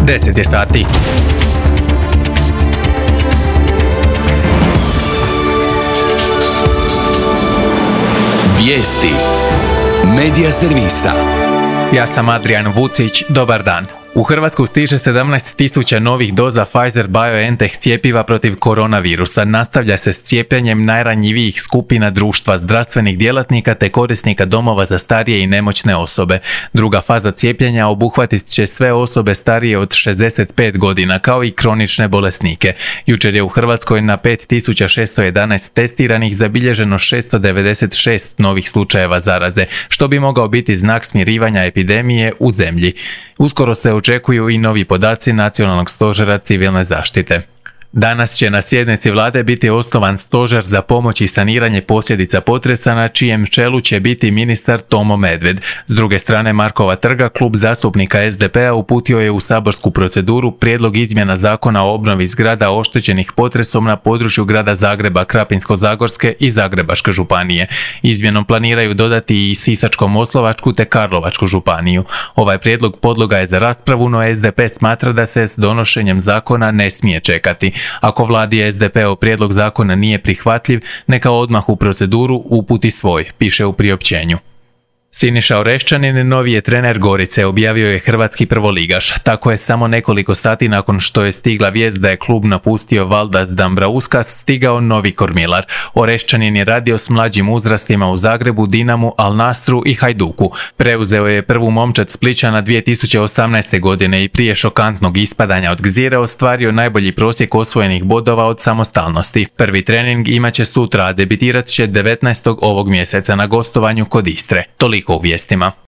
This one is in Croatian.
10 je sati. Vijesti Medija servisa. Ja sam Adrian Vucić, dobar dan. U Hrvatsku stiže 17.000 novih doza Pfizer-BioNTech cjepiva protiv koronavirusa. Nastavlja se s cijepljenjem najranjivijih skupina društva, zdravstvenih djelatnika te korisnika domova za starije i nemoćne osobe. Druga faza cijepljenja obuhvatit će sve osobe starije od 65 godina, kao i kronične bolesnike. Jučer je u Hrvatskoj na 5.611 testiranih zabilježeno 696 novih slučajeva zaraze, što bi mogao biti znak smirivanja epidemije u zemlji. Uskoro se očekuju i novi podaci Nacionalnog stožera civilne zaštite. Danas će na sjednici vlade biti osnovan stožer za pomoć i saniranje posljedica potresa, na čijem čelu će biti ministar Tomo Medved. S druge strane Markova trga, klub zastupnika SDP-a uputio je u saborsku proceduru prijedlog izmjena zakona o obnovi zgrada oštećenih potresom na području grada Zagreba, Krapinsko-zagorske i Zagrebačke županije. Izmjenom planiraju dodati i Sisačko-moslavačku te Karlovačku županiju. Ovaj prijedlog podloga je za raspravu, no SDP smatra da se s donošenjem zakona ne smije čekati. Ako vladi SDP-ov prijedlog zakona nije prihvatljiv, neka odmah u proceduru uputi svoj, piše u priopćenju. Siniša Oreščanin novi je trener Gorice, objavio je hrvatski prvoligaš. Tako je samo nekoliko sati nakon što je stigla vijest da je klub napustio Valdas Dambrauskas stigao novi kormilar. Oreščanin je radio s mlađim uzrastima u Zagrebu, Dinamu, Al Nasru i Hajduku. Preuzeo je prvu momčad Splićana 2018. godine i prije šokantnog ispadanja od Gzire ostvario najbolji prosjek osvojenih bodova od samostalnosti. Prvi trening imaće sutra, a debitirat će 19. ovog mjeseca na gostovanju kod Istre. Toliko u vijestima.